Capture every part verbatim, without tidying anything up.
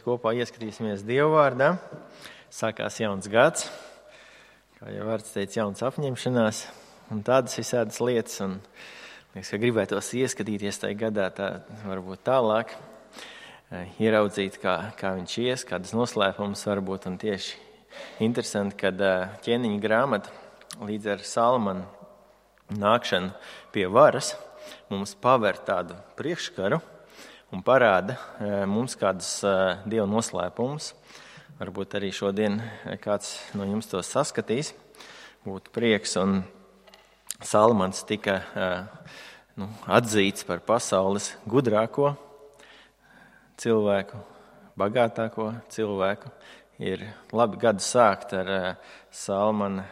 kopā ieskatīsimies Dieva vārdā. Sākās jauns gads, kā jau vārds teica, jauns apņemšanās un tādas visādas lietas. Un liekas, ka gribētos ieskatīties tajā gadā tā varbūt tālāk, ieraudzīt, kā, kā viņš ies, kādas noslēpumus varbūt. Un tieši interesanti, kad ķēniņa grāmata līdz ar Salmanu nākšanu pie varas mums paver tādu priekškaru un parāda mums kādus Dieva noslēpumus. Varbūt arī šodien kāds no jums to saskatīs. Būtu prieks. Un Salmans tika nu, atzīts par pasaules gudrāko cilvēku, bagātāko cilvēku. Ir labi gadu sākt ar Salmana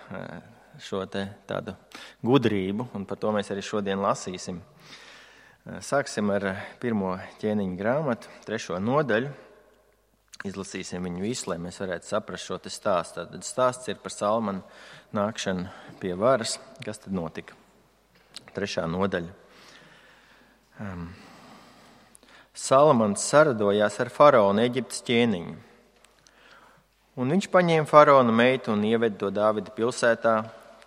šo te tādu gudrību, un par to mēs arī šodien lasīsim. Sāksim ar pirmo ķēniņa grāmatu, trešo nodaļu. Izlasīsim viņu visu, lai mēs varētu saprast šo te stāstu. Tad stāsts ir par Salmanu nākšanu pie varas. Kas tad notika? Trešā nodaļa. Um. Salmans saradojās ar faraonu, Eģiptes ķēniņu. Un viņš paņēma faraona meitu un ieveda to Dāvida pilsētā,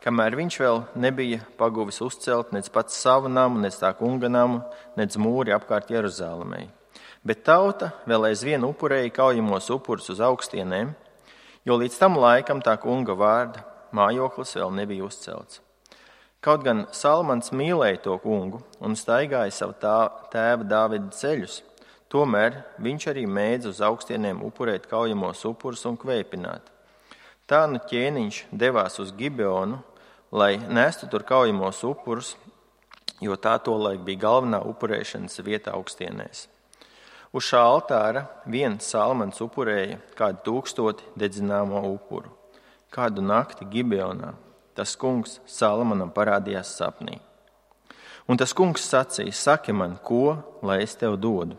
kamēr viņš vēl nebija paguvis uzcelt nec pats savu namu, nec tā kunga namu, nec mūri apkārt Jeruzālēmei. Bet tauta vēl aizvien upurēja kaujamos upurus uz augstienēm, jo līdz tam laikam tā kunga vārda mājoklis vēl nebija uzcelts. Kaut gan Salmans mīlēja to kungu un staigāja savu tā, tēva Dāvida ceļus, tomēr viņš arī mēdz uz augstienēm upurēt kaujamos upurus un kvēpināt. Tā nu ķēniņš devās uz Gibeonu, lai nestu tur kaujamos upurus, jo tā tolaik bija galvenā upurēšanas vieta augstienēs. Uz šā altāra viens Salmans upurēja kādu tūkstoti dedzināmo upuru. Kādu nakti Gibeonā tas kungs Salmanam parādījās sapnī. Un tas kungs sacīja, saki man, ko, lai es tev dodu?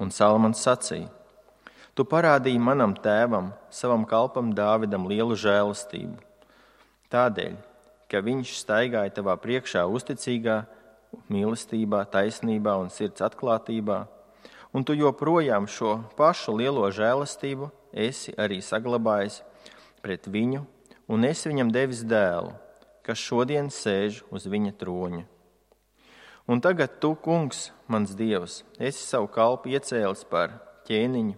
Un Salmans sacīja, tu parādīji manam tēvam, savam kalpam Dāvidam lielu žēlastību. Tādēļ, ka viņš staigāja tavā priekšā uzticīgā, mīlestībā, taisnībā un sirds atklātībā, un tu joprojām šo pašu lielo žēlastību esi arī saglabājis pret viņu, un esi viņam devis dēlu, kas šodien sēž uz viņa troņa. Un tagad tu, kungs, mans Dievs, esi savu kalpu iecēlis par ķēniņu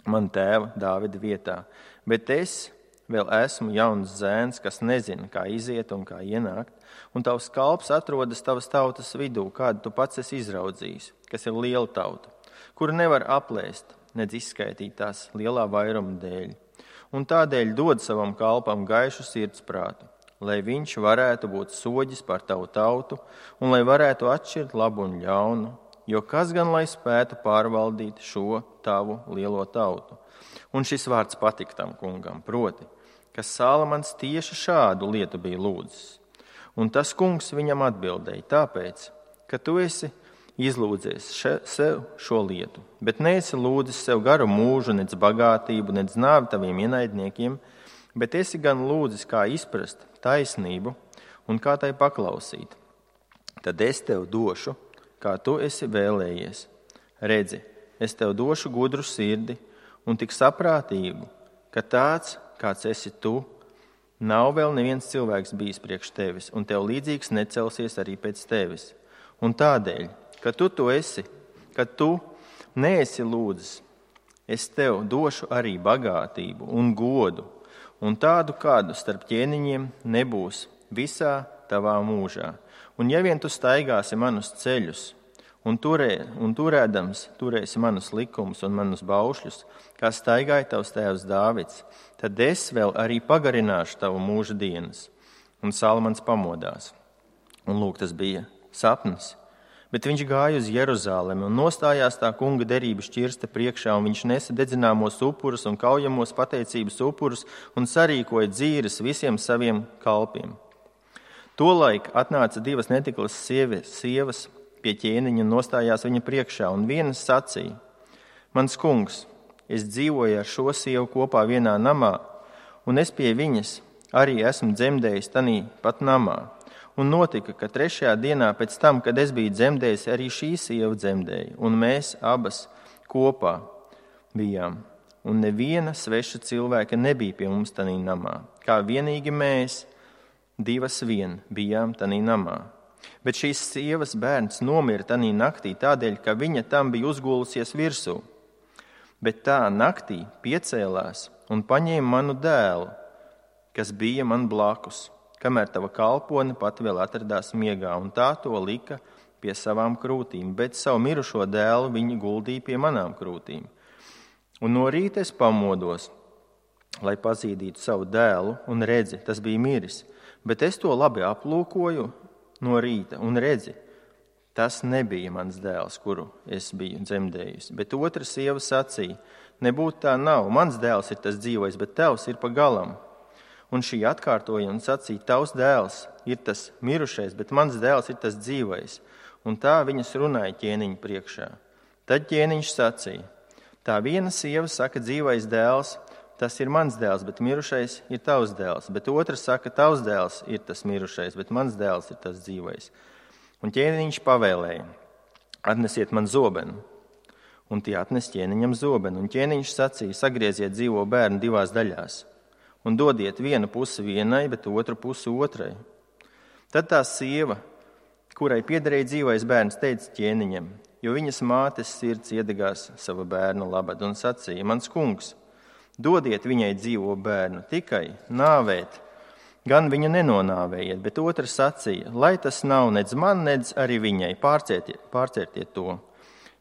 man tēva Dāvida vietā, bet es vēl esmu jauns zēns, kas nezina, kā iziet un kā ienākt, un tavs kalps atrodas tavas tautas vidū, kādu tu pats esi izraudzījis, kas ir liela tauta, kuru nevar aplēst, nedz izskaitīt tās lielā vairuma dēļ. Un tādēļ dod savam kalpam gaišu sirdsprātu, lai viņš varētu būt soģis par tavu tautu un lai varētu atšķirt labu un ļaunu, jo kas gan lai spētu pārvaldīt šo tavu lielo tautu. Un šis vārds patika tam kungam, proti, ka Salmans tieši šādu lietu bija lūdzis. Un tas kungs viņam atbildēja, tāpēc, ka tu esi izlūdzies še, sev šo lietu, bet neesi lūdzis sev garu mūžu, nec bagātību, nec nāvi taviem ienaidniekiem, bet esi gan lūdzis, kā izprast taisnību un kā tai paklausīt. Tad es tev došu, kā tu esi vēlējies. Redzi, es tev došu gudru sirdi un tik saprātīgu, ka tāds, kāds esi tu, nav vēl neviens cilvēks bijis priekš tevis, un tev līdzīgs necelsies arī pēc tevis. Un tādēļ, ka tu to esi, ka tu neesi lūdzis, es tev došu arī bagātību un godu, un tādu kādu starp ķēniņiem nebūs visā tavā mūžā. Un ja vien tu staigāsi manus ceļus, un, turē, un turēdams turēsi manus likumus un manus baušļus, kā staigāja tavs tēvs Dāvids, tad es vēl arī pagarināšu tavu mūža dienas. Un Salmans pamodās. Un lūk, tas bija sapnis. Bet viņš gāja uz Jeruzālemi un nostājās tā kunga derības šķirsta priekšā, un viņš nesa dedzināmos upurus un kaujamos pateicības upurus un sarīkoja dzīres visiem saviem kalpiem. Tolaik atnāca divas netiklas sievas, sievas pie ķēniņa un nostājās viņa priekšā, un vienas sacīja, mans kungs, es dzīvoju ar šo sievu kopā vienā namā, un es pie viņas arī esmu dzemdējis tanī pat namā. Un notika, ka trešajā dienā pēc tam, kad es biju dzemdējis, arī šī sieva dzemdēja, un mēs abas kopā bijām, un neviena sveša cilvēka nebija pie mums tanī namā. Kā vienīgi mēs, divas vien, bijām tanī namā. Bet šīs sievas bērns nomira tanī naktī tādēļ, ka viņa tam bija uzgulusies virsū. Bet tā naktī piecēlās un paņēma manu dēlu, kas bija man blakus, kamēr tava kalpone pat vēl atradās miegā, un tā to lika pie savām krūtīm, bet savu mirušo dēlu viņi guldīja pie manām krūtīm. Un no rīta es pamodos, lai pazīdītu savu dēlu, un redzi, tas bija miris, bet es to labi aplūkoju no rīta, un redzi, tas nebija mans dēls, kuru es biju dzemdējusi. Bet otra sieva sacīja, nebūtu tā nav, mans dēls ir tas dzīvais, bet tavs ir pa galam. Un šī atkārtoja un sacīja, tavs dēls ir tas mirušais, bet mans dēls ir tas dzīvais. Un tā viņas runāja ķēniņa priekšā. Tad ķēniņš sacīja, tā viena sieva saka, dzīvais dēls, tas ir mans dēls, bet mirušais ir tavs dēls. Bet otra saka, tavs dēls ir tas mirušais, bet mans dēls ir tas dzīvais. Un ķēniņš pavēlēja, atnesiet man zobenu. Un tie atnes ķēniņam zobenu. Un ķēniņš sacīja, sagrieziet dzīvo bērnu divās daļās. Un dodiet vienu pusi vienai, bet otru pusi otrai. Tad tā sieva, kurai piederēja dzīvais bērns, teica ķēniņam, jo viņas mātes sirds iedegās sava bērna labad un sacīja, mans kungs, dodiet viņai dzīvo bērnu, tikai nāvēt, gan viņu nenonāvējiet, bet otrs sacīja, lai tas nav nedz man, nedz arī viņai, pārcietiet, pārcietiet to.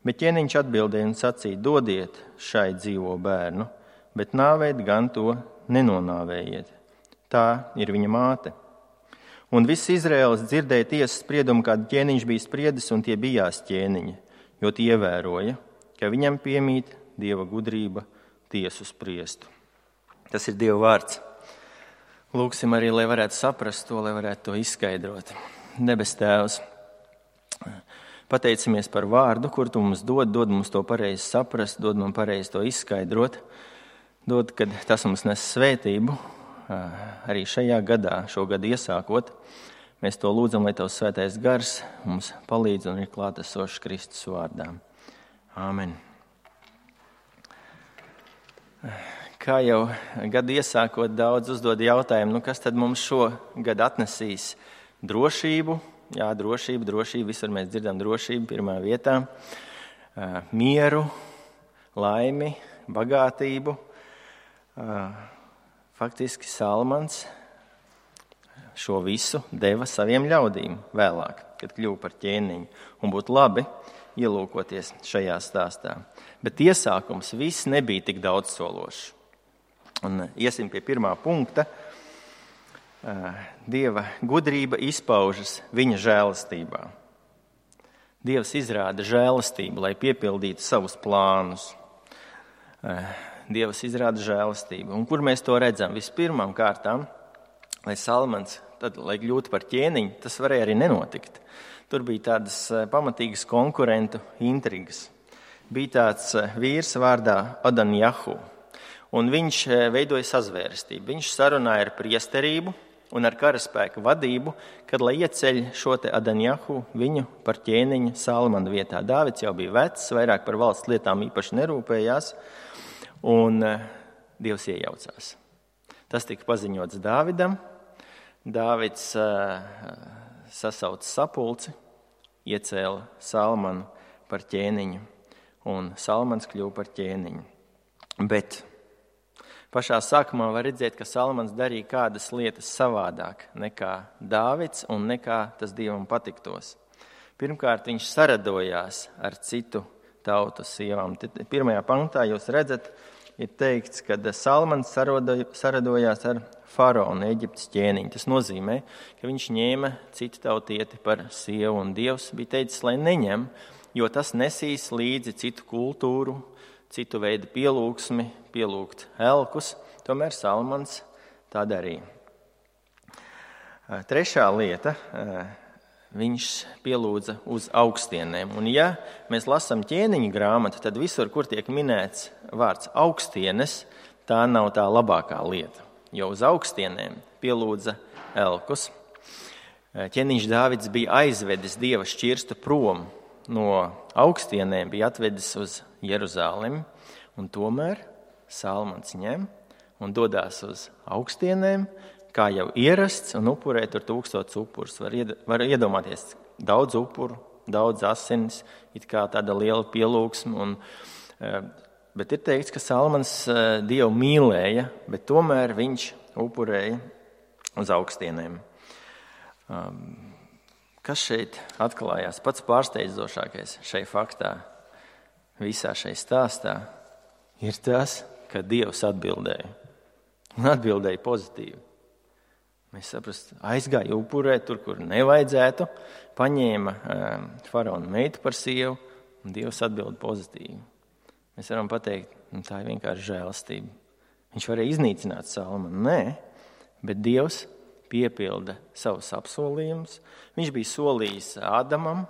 Bet ķēniņš atbildēja un sacīja, dodiet šai dzīvo bērnu, bet nāvēt gan to nenonāvējiet. Tā ir viņa māte. Un viss Izraēlis dzirdēja tiesas spriedumu, kādu ķēniņš bija spriedis, un tie bijās ķēniņi, jo tie ievēroja, ka viņam piemīt Dieva gudrība tiesu spriestu. Tas ir Dieva vārds. Lūksim arī, lai varētu saprast to, lai varētu to izskaidrot. Debes Tēvs, pateicamies par vārdu, kur tu mums dod, dod mums to pareizi saprast, dod mums pareizi to izskaidrot, dod, kad tas mums nes svētību, arī šajā gadā, šo gadu iesākot. Mēs to lūdzam, lai Tavs svētais gars mums palīdz un ir klātesošs Kristus vārdā. Āmen. Kā jau gadu iesākot, daudz uzdod jautājumu, nu kas tad mums šo gadu atnesīs? Drošību, jā, drošību, drošību, visur mēs dzirdam drošību pirmā vietā, mieru, laimi, bagātību. Faktiski Salmans šo visu deva saviem ļaudīm vēlāk, kad kļuva par ķēniņu, un būtu labi ielūkoties šajā stāstā. Bet iesākums viss nebija tik daudz sološs. Un iesim pie pirmā punkta. Dieva gudrība izpaužas viņa žēlastībā. Dievs izrāda žēlastību, lai piepildītu savus plānus. Dievs izrāda žēlastību. Un kur mēs to redzam? Vispirmām kārtām, lai Salmans, tad, lai kļūtu par ķēniņu, tas varēja arī nenotikt. Tur bija tādas pamatīgas konkurentu intrigas. Bija tāds vīrs vārdā Adanjahu, un viņš veidoja sazvērestību. Viņš sarunāja ar priesterību un ar karaspēku vadību, kad, lai ieceļ šo te Adanjahu viņu par ķēniņu Salmana vietā. Dāvids jau bija vecs, vairāk par valsts lietām īpaši nerūpējās, un Dievs iejaucās. Tas tika paziņots Dāvidam. Dāvids uh, sasauca sapulci, iecēla Salmanu par ķēniņu, un Salmans kļuva par ķēniņu. Bet pašā sākumā var redzēt, ka Salmans darīja kādas lietas savādāk nekā Dāvids un nekā tas Dievam patiktos. Pirmkārt, viņš saradojās ar citu tautu sievām. Pirmajā pantā jūs redzat, ir teikts, ka Salmans saradojās ar faraonu, Eģiptes ķēniņu. Tas nozīmē, ka viņš ņēma citu tautieti par sievu, un Dievs bija teicis, lai neņem, jo tas nesīs līdzi citu kultūru, citu veidu pielūgsmi, pielūgt elkus. Tomēr Salmans tā darīja. Trešā lieta, viņš pielūdza uz augstienēm. Un ja mēs lasām ķēniņa grāmatu, tad visur, kur tiek minēts vārds augstienes, tā nav tā labākā lieta. Jo uz augstienēm pielūdza elkus. Ķēniņš Dāvids bija aizvedis Dieva šķirstu prom no augstienēm, bija atvedis uz Jeruzalemi. Un tomēr Salmans ņem un dodās uz augstienēm, kā jau ierasts, un upurē tur tūkstots upurus. Var, ied, var iedomāties daudz upuru, daudz asinis, it kā tāda liela pielūgsme. Un, bet ir teikts, ka Salmans Dievu mīlēja, bet tomēr viņš upurēja uz augstienēm. Kas šeit atklājās? Pats pārsteidzošākais šai faktā, visā šai stāstā, ir tas, ka Dievs atbildēja. Un atbildēja pozitīvi. Mēs saprast, aizgāja upurē tur, kur nevajadzētu, paņēma um, faraona meitu par sievu, un Dievs atbild pozitīvi. Mēs varam pateikt, nu, tā ir vienkārši žēlastība. Viņš varēja iznīcināt Salmanu. Nē, bet Dievs piepilda savus apsolījumus. Viņš bija solījis Ādamam,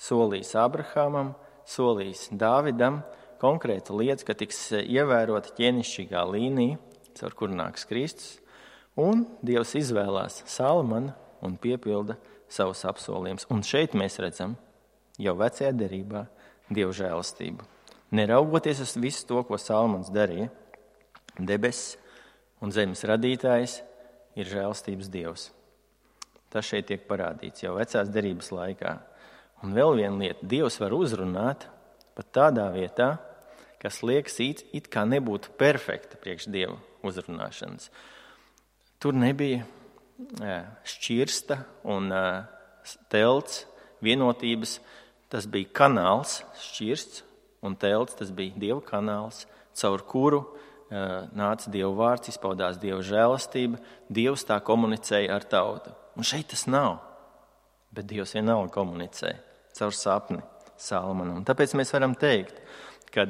solījis Abrahamam, solījis Dāvidam konkrētu lietu, ka tiks ievērota ķēnišķīgā līnija, caur kur nāks Kristus. Un Dievs izvēlās Salmanu un piepilda savus apsolījumus. Un šeit mēs redzam jau vecajā derībā Dieva žēlastību. Neraugoties uz visu to, ko Salmans darīja, debesis un zemes radītājs ir žēlastības Dievs. Tas šeit tiek parādīts jau vecās derības laikā. Un vēl viena lieta, Dievs var uzrunāt pat tādā vietā, kas liekas it, it kā nebūtu perfekta priekš Dieva uzrunāšanas. Tur nebija šķirsta un telts vienotības. Tas bija kanāls, šķirsts un telts. Tas bija Dieva kanāls, caur kuru nāca Dieva vārds, izpaudās Dieva žēlastība. Dievs tā komunicēja ar tautu. Un šeit tas nav. Bet Dievs vienalga komunicē caur sapni Salmanam. Tāpēc mēs varam teikt, ka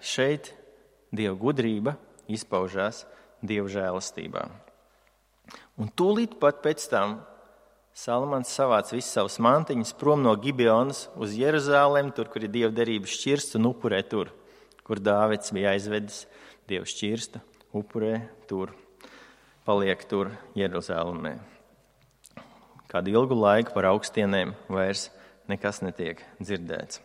šeit Dieva gudrība izpaužās Dieva žēlastībā. Un tūlīt pat pēc tam Salmans savāc visus savus mantiņus prom no Gibeonas uz Jeruzālēm, tur, kur ir Dieva derības šķirsts, un upurē tur, kur Dāvids bija aizvedis Dieva šķirstu, upurē tur, paliek tur Jeruzālēmē. Kādu ilgu laiku par augstienēm vairs nekas netiek dzirdēts.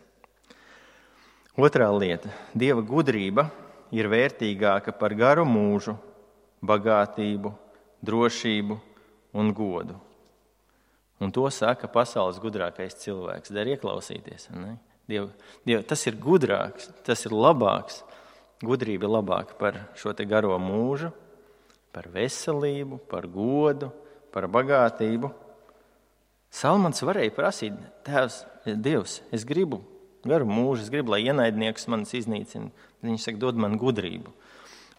Otrā lieta. Dieva gudrība ir vērtīgāka par garu mūžu, bagātību, drošību un godu. Un to saka pasaules gudrākais cilvēks. Der ieklausīties. Ne? Diev, Diev, tas ir gudrāks, tas ir labāks. Gudrība ir labāka par šo te garo mūžu, par veselību, par godu, par bagātību. Salmans varēja prasīt, Tēvs, Dievs, es gribu garu mūžu, es gribu, lai ienaidnieks manis iznīcina. Viņš saka, dod man gudrību.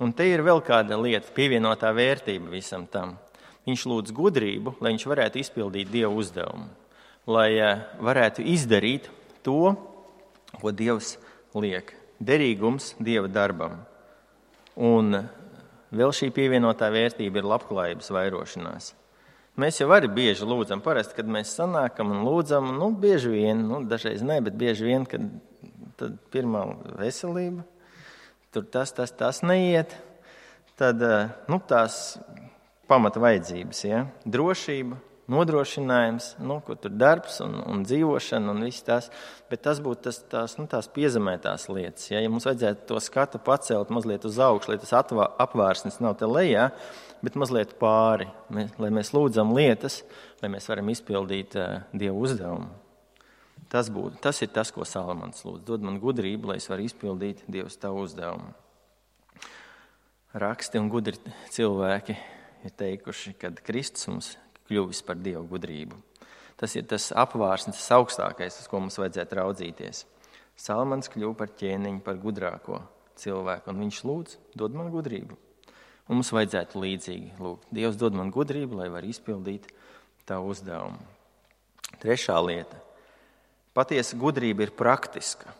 Un te ir vēl kāda lieta, pievienotā vērtība visam tam. Viņš lūdz gudrību, lai viņš varētu izpildīt Dieva uzdevumu. Lai varētu izdarīt to, ko Dievs liek. Derīgums Dieva darbam. Un vēl šī pievienotā vērtība ir labklājības vairošanās. Mēs jau arī bieži lūdzam, parasti, kad mēs sanākam un lūdzam, nu, bieži vien, nu, dažreiz ne, bet bieži vien, kad tad pirmā veselība, tur tas, tas, tas neiet, tad, nu, tās pamata vajadzības, ja, drošība, nodrošinājums, nu, kur tur darbs un, un dzīvošana un viss tās, bet tas būtu tas, tās, nu, tās piezemētās lietas, ja, ja mums vajadzētu to skatu pacelt mazliet uz augšu, lai tas atvā, apvārsnis nav te lejā, bet mazliet pāri, mēs, lai mēs lūdzam lietas, lai mēs varam izpildīt uh, Dieva uzdevumu. Tas, būtu, tas ir tas, ko Salmans lūdz. Dod man gudrību, lai es varu izpildīt Dievs tavu uzdevumu. Raksti un gudri cilvēki ir teikuši, kad Kristus mums kļuvis par Dievu gudrību. Tas ir tas apvārsnis, tas augstākais, uz ko mums vajadzētu raudzīties. Salmans kļuva par ķēniņu, par gudrāko cilvēku, un viņš lūdz, dod man gudrību. Un mums vajadzētu līdzīgi lūgt. Dievs dod man gudrību, lai var izpildīt tavu uzdevumu. Trešā lieta. Patiesa gudrība ir praktiska.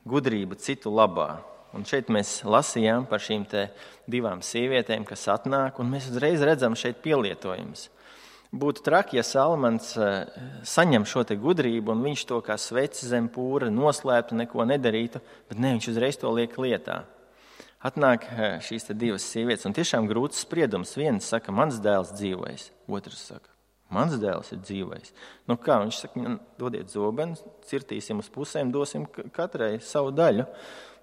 Gudrība citu labā. Un šeit mēs lasījām par šīm te divām sievietēm, kas atnāk, un mēs uzreiz redzam šeit pielietojums. Būtu traki, ja Salmans saņem šo te gudrību, un viņš to kā sveci zem pūra noslēptu, neko nedarītu, bet ne, viņš uzreiz to liek lietā. Atnāk šīs te divas sievietes, un tiešām grūts spriedums. Viens saka, mans dēls dzīvojis, otrs saka, mans dēls ir dzīvojis. Nu kā, viņš saka, dodiet zobenu, cirtīsim uz pusēm, dosim katrai savu daļu.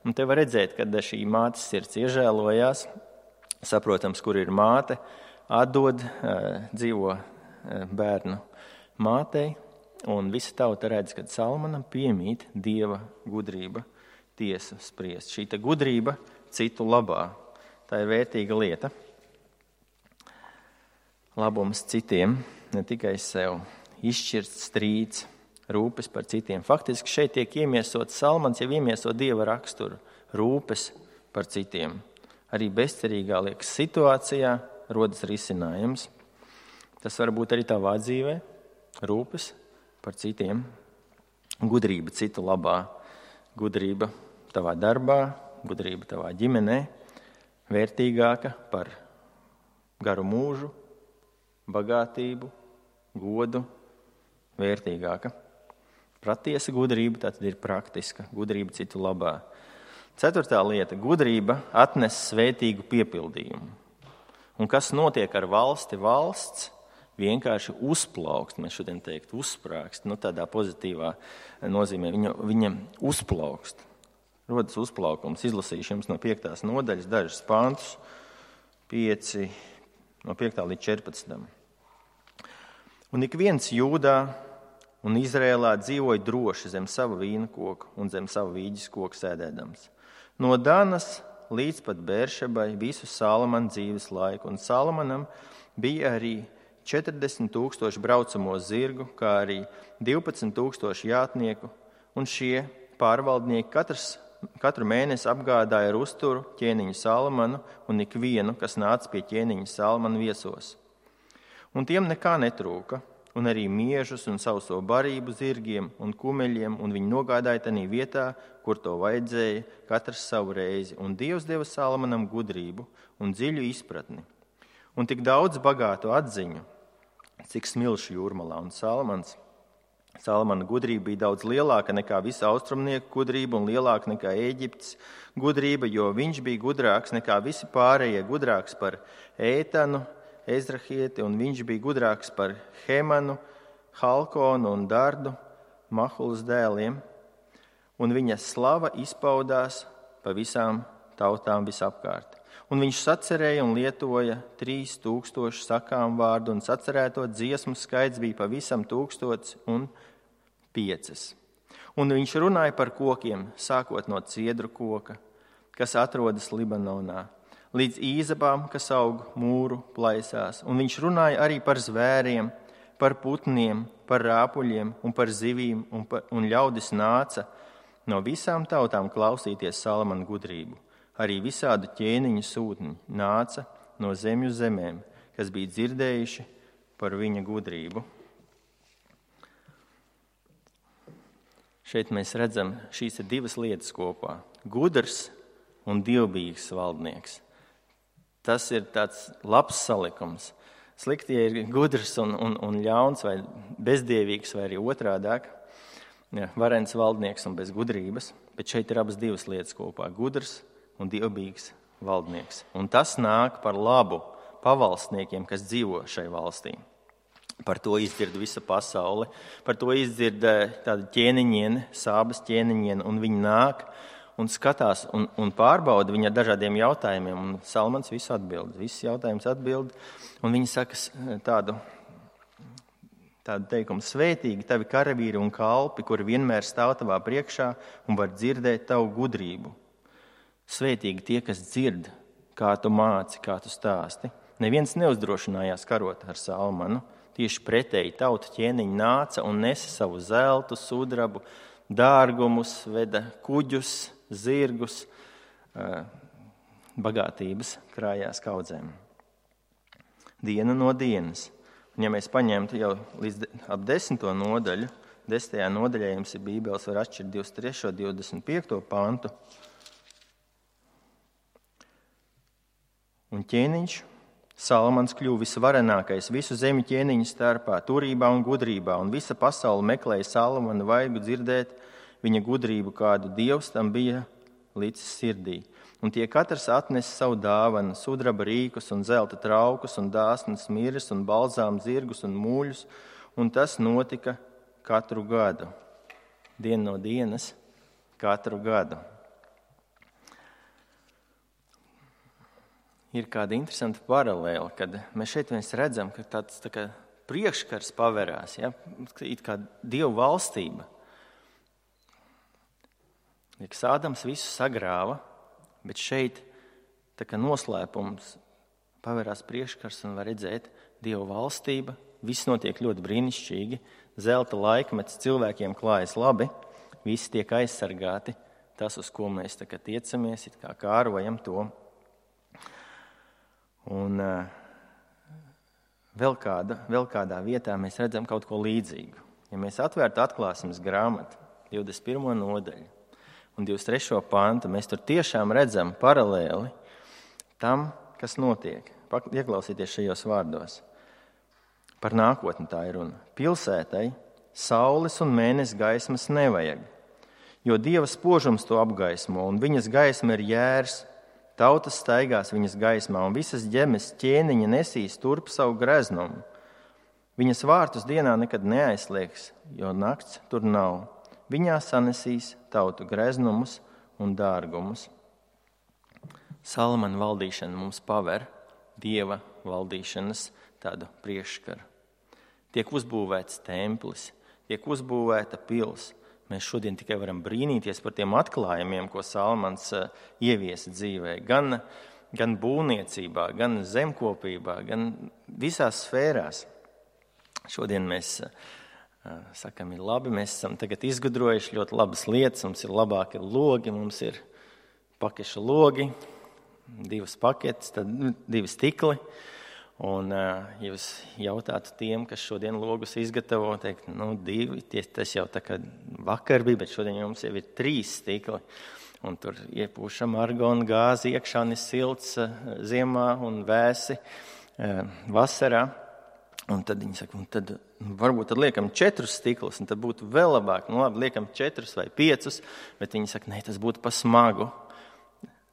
Un te var redzēt, kad šī mātes sirds iežēlojās, saprotams, kur ir māte, atdod, dzīvo bērnu mātei, un visa tauta redz, kad Salmanam piemīt Dieva gudrība tiesu spriest. Šī te gudrība citu labā. Tā ir vērtīga lieta. Labums citiem, ne tikai sev, izšķirts strīds, rūpes par citiem. Faktiski šeit tiek iemiesots Salmans, jau iemieso Dieva raksturu, rūpes par citiem. Arī bezcerīgā liekas situācijā rodas risinājums. Tas var būt arī tavā dzīvē, rūpes par citiem, gudrība citu labā, gudrība tavā darbā, gudrība tavā ģimenē, vērtīgāka par garu mūžu, bagātību, godu, vērtīgāka. Patiesa gudrība tātad ir praktiska, gudrība citu labā. Ceturtā lieta – gudrība atnes svētīgu piepildījumu. Un kas notiek ar valsti? Valsts vienkārši uzplaukst, mēs šodien teikt, uzsprākst, nu tādā pozitīvā nozīmē, viņa, viņa uzplaukst. Rodas uzplaukums, izlasīšu jums no piektās nodaļas dažas pantus, pieci, no piektā līdz četrpadsmitam. Un ik viens Jūdā un Izrēlā dzīvoja droši zem sava vīna koka un zem sava vīģes koka sēdēdams. No Danas līdz pat Bēršebai visu Salamana dzīves laiku, un Salamanam bija arī četrdesmit tūkstoši braucamo zirgu, kā arī divpadsmit tūkstoši jātnieku, un šie pārvaldnieki katrs, katru mēnesi apgādāja ar uzturu ķēniņu Salamanu un ikvienu, kas nāca pie ķēniņa Salamana viesos. Un tiem nekā netrūka, un arī miežus un sauso barību zirgiem un kumeļiem, un viņi nogādāja tanī vietā, kur to vajadzēja, katrs savu reizi. Un Dievs deva Salamanam gudrību un dziļu izpratni, un tik daudz bagātu atziņu, cik smilšu jūrmalā. Un Salamans, Salamana gudrība bija daudz lielāka nekā visa austrumnieku gudrība un lielāka nekā Ēģiptes gudrība, jo viņš bija gudrāks nekā visi pārējie, gudrāks par Ētanu, Ezrahieti, un viņš bija gudrāks par Hemanu, Halkonu un Dardu, Mahulas dēliem, un viņa slava izpaudās pa visām tautām visapkārt. Un viņš sacerēja un lietoja trīs tūkstoši sakām vārdu, un sacerēto dziesmu skaits bija pavisam tūkstots un piecas. Un viņš runāja par kokiem, sākot no ciedru koka, kas atrodas Libanonā, līdz īzabām, kas aug mūru plaisās. Un viņš runāja arī par zvēriem, par putniem, par rāpuļiem un par zivīm, un, par, un ļaudis nāca no visām tautām klausīties Salamana gudrību. Arī visādu ķēniņu sūtņi nāca no zemju zemēm, kas bija dzirdējuši par viņa gudrību. Šeit mēs redzam šīs ir divas lietas kopā. Gudrs un dievbijīgs valdnieks. Tas ir tāds labs salikums. Slikti, ja ir gudrs un, un, un ļauns vai bezdievīgs vai arī otrādāk, ja, varens valdnieks un bez gudrības, bet šeit ir abas divas lietas kopā – gudrs un dievbijīgs valdnieks. Un tas nāk par labu pavalstniekiem, kas dzīvo šai valstī. Par to izdzird visa pasaule, par to izdzird tāda ķēniņiene, sābas ķēniņiene, un viņi nāk un skatās un, un pārbauda viņa dažādiem jautājumiem, un Salmans visu atbild, visus jautājumus atbild, un viņi saka tādu, tādu teikumu: svētīgi tavi karavīri un kalpi, kuri vienmēr stāv tavā priekšā un var dzirdēt tavu gudrību. Svētīgi tie, kas dzird, kā tu māci, kā tu stāsti. Neviens neuzdrošinājās karot ar Salmanu, tieši pretēji tauta ķēniņi nāca un nesa savu zeltu, sudrabu, dārgumus, veda kuģus, zirgus, bagātības krājās kaudzēm. Diena no dienas. Un ja mēs paņemtu jau līdz ap desmito nodaļu, desmitajā nodaļā jums ir Bībeles, var atšķirt divdesmit trešo, divdesmit piekto pantu. Un ķēniņš, Salamans, kļuva visvarenākais visu zemi ķēniņu starpā, turībā un gudrībā, un visa pasaule meklēja Salamana vaigu dzirdēt viņa gudrību, kādu Dievs tam bija licis sirdī. Un tie katrs atnesa savu dāvanu, sudraba rīkus un zelta traukus un dāsnas miris un balzām zirgus un mūļus, un tas notika katru gadu. Diena no dienas, katru gadu. ir kāda interesanta paralēla, kad mēs šeit mēs redzam, ka tāds tā kā priekškars paverās, ja? It kā Dievu valstība. Liekas, Ādams visu sagrāva, bet šeit tā kā noslēpums paverās priekškars un var redzēt Dievu valstība. Viss notiek ļoti brīnišķīgi. Zelta laikmets cilvēkiem klājas labi, visi tiek aizsargāti. Tas, uz ko mēs tā kā tiecamies, it kā kārojam to. Un uh, vēl, kāda, vēl kādā vietā mēs redzam kaut ko līdzīgu. Ja mēs atvērtu atklāsmes grāmatu, divdesmit pirmo nodaļu un divdesmit trešo pantu, mēs tur tiešām redzam paralēli tam, kas notiek. Ieklausieties šajos vārdos. Par nākotni tā ir runa. Pilsētai saules un mēnesi gaismas nevajag, jo Dieva spožums to apgaismo, un viņas gaisma ir jērs. Tautas staigās viņas gaismā, un visas ģemes ķēniņa nesīs turp savu greznumu. Viņas vārtus dienā nekad neaizslēgs, jo nakts tur nav. Viņā sanesīs tautu greznumus un dārgumus. Salamana valdīšana mums paver Dieva valdīšanas tādu priekšskaru. Tiek uzbūvēts templis, tiek uzbūvēta pils. Mēs šodien tikai varam brīnīties par tiem atklājumiem, ko Salamans ieviesa dzīvē. Gan, gan būvniecībā, gan zemkopībā, gan visās sfērās. Šodien mēs sakam, ir labi, mēs esam tagad izgudrojuši ļoti labas lietas. Mums ir labāki logi, mums ir pakeša logi, divas paketes, tad divi stikli. Un, ja jūs jautātu tiem, kas šodien logus izgatavo, teikt, nu, divi, tas jau tā kā vakar bija, bet šodien jums jau ir trīs stikli. Un tur iepūšam argonu gāzi iekšā, un ir silts ziemā un vēsi vasarā. Un tad viņi saka, un tad varbūt tad liekam četrus stiklus, un tad būtu vēl labāk. Nu, labi, liekam četrus vai piecus, bet viņi saka, ne, tas būtu pa smagu.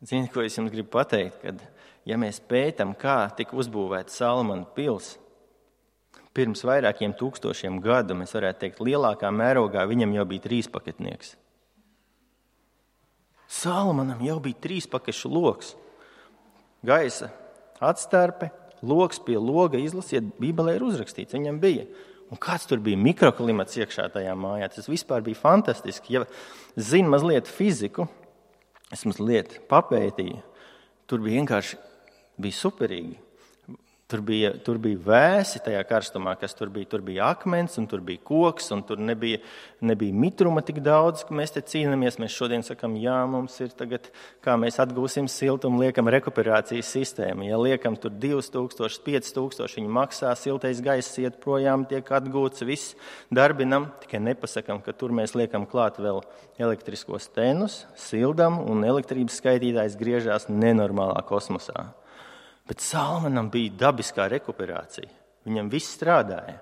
Ziniet, ko es jums gribu pateikt, kad ja mēs pētam, kā tika uzbūvēta Salamana pils, pirms vairākiem tūkstošiem gadu, mēs varētu teikt, lielākā mērogā viņam jau bija trīspaketnieks. Salamanam jau bija trīspakešu loks. Gaisa atstarpe, loks pie loga, izlasiet, Bībelē ir uzrakstīts, viņam bija. Un kāds tur bija mikroklimats iekšā tajā mājā, tas vispār bija fantastiski. Ja zinu mazliet fiziku, es mazliet papētīju, tur bija vienkārši bija superīgi. Tur bija, tur bija vēsi tajā karstumā, kas tur bija. Tur bija akmens, un tur bija koks, un tur nebija, nebija mitruma tik daudz, ka mēs te cīnāmies. Mēs šodien sakam, jā, mums ir tagad, kā mēs atgūsim siltumu, liekam rekuperācijas sistēmu. Ja liekam tur divus tūkstošus, piecus tūkstošus, viņi maksā, siltais gaiss iet projām, tiek atgūts, viss darbinam. Tikai nepasakam, ka tur mēs liekam klāt vēl elektriskos tenus, sildam, un elektrības skaitītājs griežās nenormālā kosmosā. Bet Salamanam bija dabiskā rekuperācija. Viņam viss strādāja.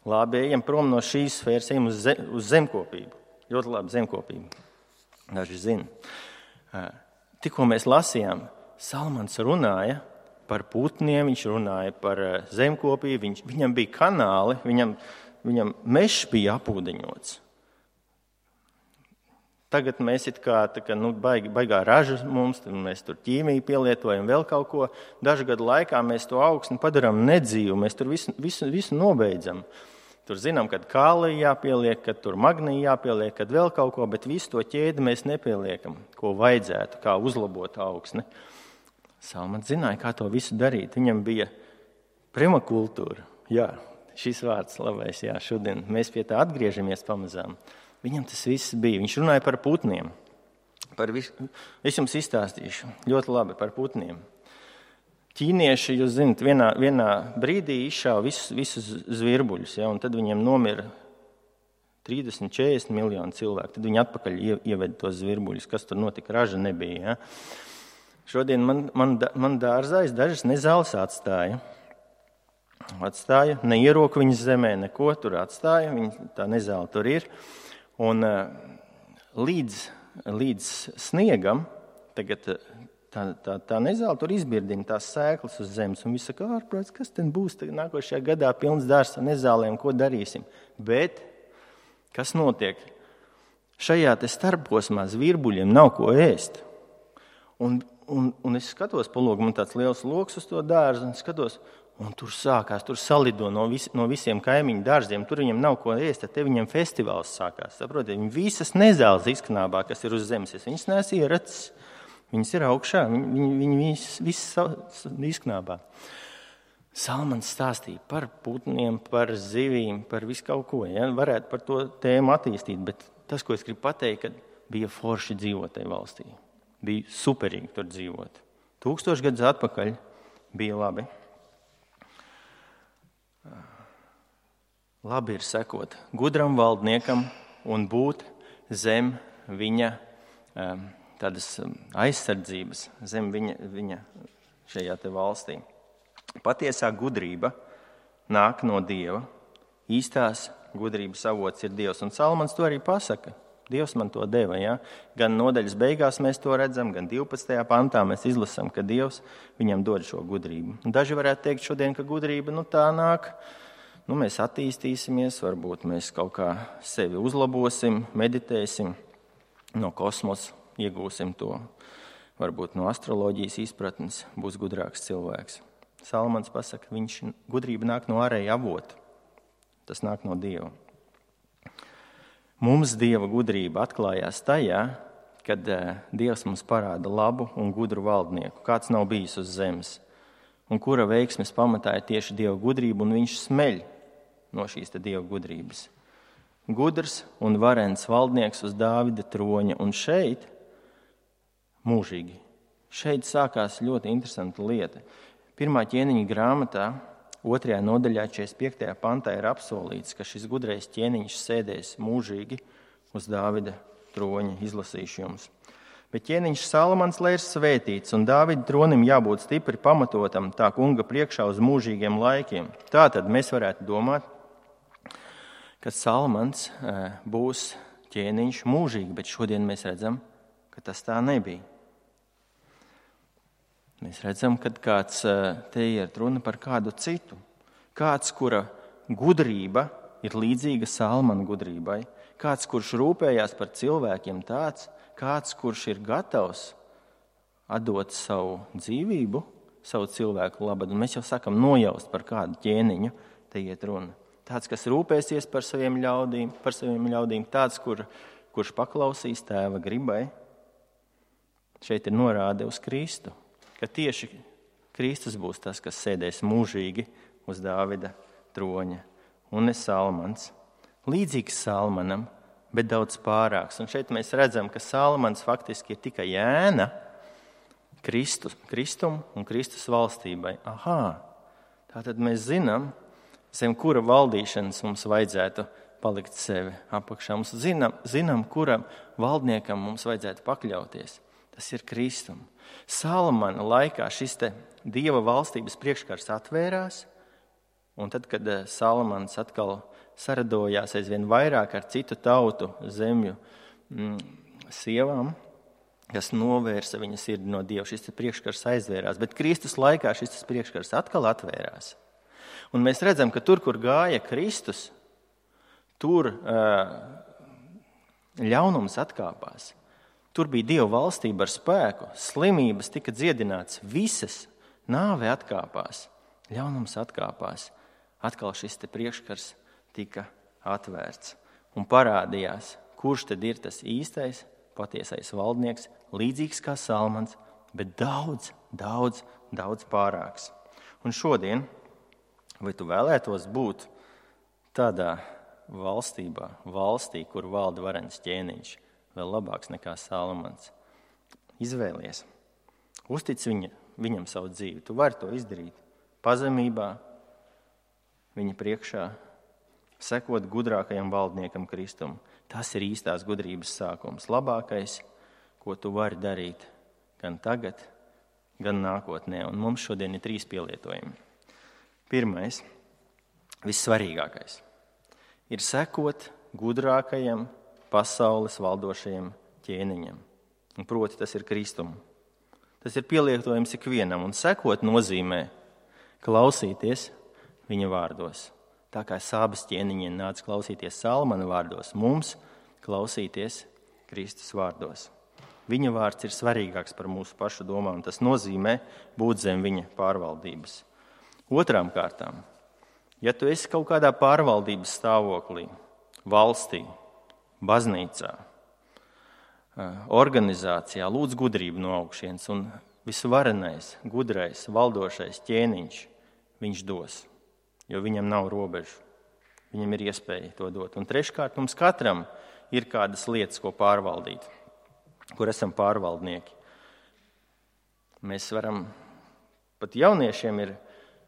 Labi, ejam prom no šīs sfēras, ejam uz, zem, uz zemkopību. Ļoti labi zemkopību. Daži zina. Tikko mēs lasījām, Salamans runāja par putniem, viņš runāja par zemkopību, viņš, viņam bija kanāli, viņam, viņam mežs bija apūdeņots. Tagad mēs it kā, tā kā nu, baig, baigā raža mums, mēs tur ķīmiju pielietojam, vēl kaut ko. Dažu gadu laikā mēs to augsni padarām nedzīvu, mēs tur visu, visu, visu nobeidzam. Tur zinām, kad kālija jāpieliek, kad tur magnija jāpieliek, kad vēl kaut ko, bet visu to ķēdi mēs nepieliekam, ko vajadzētu, kā uzlabot augsni. Salamans zināja, kā to visu darīt. Viņam bija permakultūra. Jā, šis vārds labais, jā, šodien mēs pie tā atgriežamies pamazām. Viņam tas viss bija. Viņš runāja par putniem. Par visu. Es jums izstāstīšu ļoti labi par putniem. Ķīnieši, jūs zināt, vienā, vienā brīdī izšāva visus, visus zvirbuļus, ja, un tad viņiem nomira trīsdesmit četrdesmit miljoni cilvēku. Tad viņi atpakaļ ieveda tos zvirbuļus, kas tur notika, raža nebija. Ja. Šodien man, man, man dārzais dažas nezāles atstāja. Atstāja, neieroka viņas zemē, neko tur atstāja, viņa, tā nezāle tur ir. Un līdz, līdz sniegam, tagad tā, tā, tā nezāle tur izbirdina tās sēklas uz zemes. Un viss saka, ārprāts, kas ten būs tagad nākošajā gadā pilns dārs ar nezālēm, ko darīsim. Bet kas notiek? Šajā te starposmā zvirbuļiem nav ko ēst. Un, un, un es skatos pa logu, man tāds liels loks uz to dārzu, un skatos, un tur sākās, tur salido no, vis, no visiem kaimiņu dārziem, tur viņiem nav ko ēst, tad te viņiem festivāls sākās. Saprotiet, viņi visas nezāles izknābā, kas ir uz zemes, es viņas neesmu ieracis, viņas ir augšā, viņi, viņi, viņi visas, visas izknābā. Salmans stāstīja par putniem, par zivīm, par visu kaut ko, ja? Varētu par to tēmu attīstīt, bet tas, ko es gribu pateikt, kad bija forši dzīvot tajā valstī. Bija superīgi tur dzīvot. Tūkstoši gadus atpakaļ bija labi. Labi ir sekot gudram valdniekam un būt zem viņa tādas aizsardzības, zem viņa, viņa šajā te valstī. Patiesā gudrība nāk no Dieva. Īstās gudrības avots ir Dievs. Un Salmans to arī pasaka. Dievs man to deva. Ja? Gan nodaļas beigās mēs to redzam, gan divpadsmitajā pantā mēs izlasam, ka Dievs viņam dod šo gudrību. Un daži varētu teikt šodien, ka gudrība nu, tā nāk. Nu, mēs attīstīsimies, varbūt mēs kaut kā sevi uzlabosim, meditēsim, no kosmosa iegūsim to. Varbūt no astroloģijas izpratnes būs gudrāks cilvēks. Salmans pasaka, viņš gudrība nāk no ārēja avota. Tas nāk no Dieva. Mums Dieva gudrība atklājās tajā, kad Dievs mums parāda labu un gudru valdnieku, kāds nav bijis uz zemes, un kura veiksmes pamatā ir tieši Dieva gudrība, un viņš smeļ no šīs te Dieva gudrības. Gudrs un varens valdnieks uz Dāvida troņa, un šeit mūžīgi. Šeit sākās ļoti interesanta lieta. Pirmā ķēniņa grāmatā, otrajā nodaļā, četrdesmit piektajā pantā ir apsolīts, ka šis gudrais ķēniņš sēdēs mūžīgi uz Dāvida troņa, izlasīšu jums. Bet ķēniņš Salmans lai ir svētīts, un Dāvida tronim jābūt stipri pamatotam tā kunga priekšā uz mūžīgiem laikiem. Tātad mēs varētu domāt, ka Salmans būs ķēniņš mūžīgi, bet šodien mēs redzam, ka tas tā nebija. Mēs redzam, ka kāds te iet runa par kādu citu. Kāds, kura gudrība ir līdzīga Salmana gudrībai. Kāds, kurš rūpējās par cilvēkiem, tāds, kāds, kurš ir gatavs atdot savu dzīvību, savu cilvēku labad. Un mēs jau sakam nojaust par kādu ķēniņu, te iet runa. Tāds, kas rūpēsies par saviem ļaudīm, par saviem ļaudīm, tāds, kur, kurš paklausīs tēva gribai. Šeit ir norāde uz Kristu. Ka tieši Kristus būs tas, kas sēdēs mūžīgi uz Dāvida troņa. Un ne Salmans. Līdzīgs Salmanam, bet daudz pārāks. Un šeit mēs redzam, ka Salmans faktiski ir tikai ēna Kristus, Kristum un Kristus valstībai. Aha, tātad mēs zinām, zem kura valdīšanas mums vajadzētu palikt sevi apakšā. Mums zinām, zinām, kuram valdniekam mums vajadzētu pakļauties. Tas ir Kristum. Salmana laikā šis te Dieva valstības priekškars atvērās, un tad, kad Salmans atkal saradojās aizvien vairāk ar citu tautu zemju mm, sievām, kas novērsa viņa sirdi no Dieva, šis priekškars aizvērās. Bet Kristus laikā šis priekškars atkal atvērās. Un mēs redzam, ka tur, kur gāja Kristus, tur uh, ļaunums atkāpās. Tur bija Dieva valstība ar spēku, slimības tika dziedināts, visas, nāve atkāpās, ļaunums atkāpās. Atkal šis te priekškars tika atvērts un parādījās, kurš tad ir tas īstais, patiesais valdnieks, līdzīgs kā Salmans, bet daudz, daudz, daudz pārāks. Un šodien, vai tu vēlētos būt tādā valstībā, valstī, kur valda varens ķēniņš, vēl labāks nekā Salmans? Izvēlies. Uztic viņa, viņam savu dzīvi. Tu vari to izdarīt pazemībā, viņa priekšā, sekot gudrākajam valdniekam Kristum. Tas ir īstās gudrības sākums. Labākais, ko tu vari darīt gan tagad, gan nākotnē. Un mums šodien ir trīs pielietojumi. Pirmais, vissvarīgākais, ir sekot gudrākajam pasaules valdošajam ķēniņam. Un proti, tas ir Kristum. Tas ir pielietojums ikvienam, un sekot nozīmē klausīties viņa vārdos. Tā kā Sābas ķēniņiem nāca klausīties Salmana vārdos, mums klausīties Kristus vārdos. Viņa vārds ir svarīgāks par mūsu pašu domām. Tas nozīmē būt zem viņa pārvaldības. Otrām kārtām, ja tu esi kaut kādā pārvaldības stāvoklī, valstī, baznīcā, organizācijā, lūdz gudrību no augšienes, un visvarenais, gudrais, valdošais ķēniņš viņš dos, jo viņam nav robežu. Viņam ir iespēja to dot. Un treškārt, mums katram ir kādas lietas, ko pārvaldīt, kur esam pārvaldnieki. Mēs varam, pat jauniešiem ir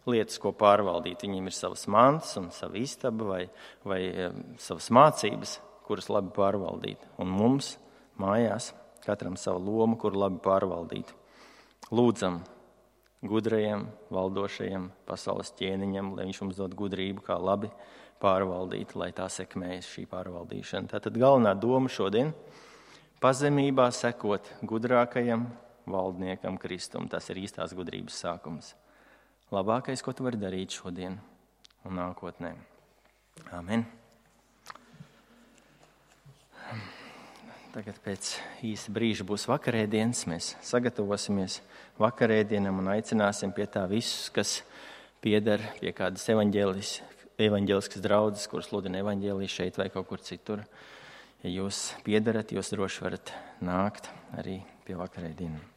lietas, ko pārvaldīt. Viņiem ir savas mantas un sava istaba vai, vai savas mācības, kuras labi pārvaldīt. Un mums mājās katram savu lomu, kur labi pārvaldīt. Lūdzam gudrajam, valdošajam pasaules ķēniņam, lai viņš mums dod gudrību, kā labi pārvaldīt, lai tā sekmējas šī pārvaldīšana. Tātad galvenā doma šodien – pazemībā sekot gudrākajam valdniekam Kristum. Tas ir īstās gudrības sākums. Labākais, ko tu vari darīt šodien un nākotnē. Amen. Tagad pēc īsa brīža būs vakarēdienas. Mēs sagatavosimies vakarēdienam un aicināsim pie tā visus, kas pieder pie kādas evaņģēliskas draudzes, kuras sludina evaņģēliju šeit vai kaut kur citur. Ja jūs piederat, jūs droši varat nākt arī pie vakarēdienām.